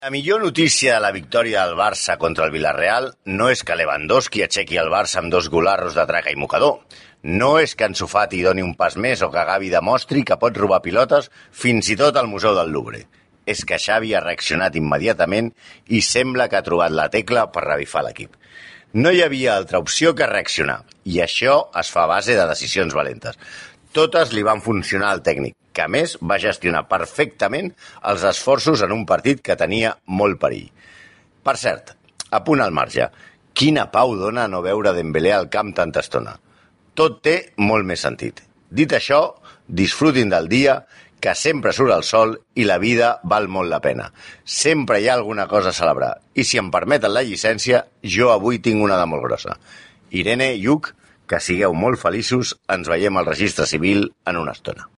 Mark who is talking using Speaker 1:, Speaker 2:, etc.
Speaker 1: La millor notícia de la victòria del Barça contra el Villarreal no és que Lewandowski aixequi el Barça amb 2 golarros de traca i mocador. No és que Ansu Fati doni un pas més o que Gavi demostri que pot robar pilotes fins i tot al Museu del Louvre. És que Xavi ha reaccionat immediatament i sembla que ha trobat la tecla per revifar l'equip. No hi havia altra opció que reaccionar, i això es fa a base de decisions valentes. Totes li van funcionar al tècnic, que a més va gestionar perfectament els esforços en un partit que tenia molt perill. Per cert, a punt al marge, quina pau dona no veure Dembélé al camp tanta estona. Tot té molt més sentit. Dit això, disfrutin del dia, que sempre surt el sol i la vida val molt la pena. Sempre hi ha alguna cosa a celebrar. I si em permeten la llicència, jo avui tinc una de molt grossa. Irene, Lluc, que sigueu molt feliços, ens veiem al registre civil en una estona.